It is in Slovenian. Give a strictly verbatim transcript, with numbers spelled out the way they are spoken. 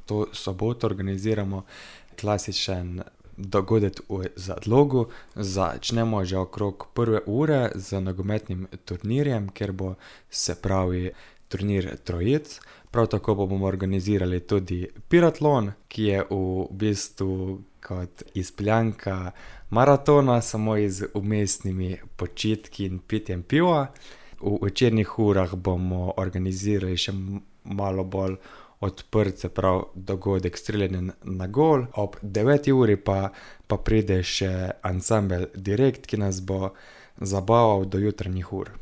to soboto organiziramo klasičen dogodek v Zadlogu. Začnemo že okrog prve ure z nogometnim turnirjem, kjer bo, se pravi, turnir trojic. Prav tako bomo organizirali tudi piratlon, ki je v bistvu kot izpeljanka maratona, samo z vmesnimi počitki in pitjem piva. V večernih urah bomo organizirali še malo bolj odprt, se pravi, dogodek streljanja na gol. Ob deveti uri pa, pa pride še ansambel Direkt, ki nas bo zabaval do jutranjih ur.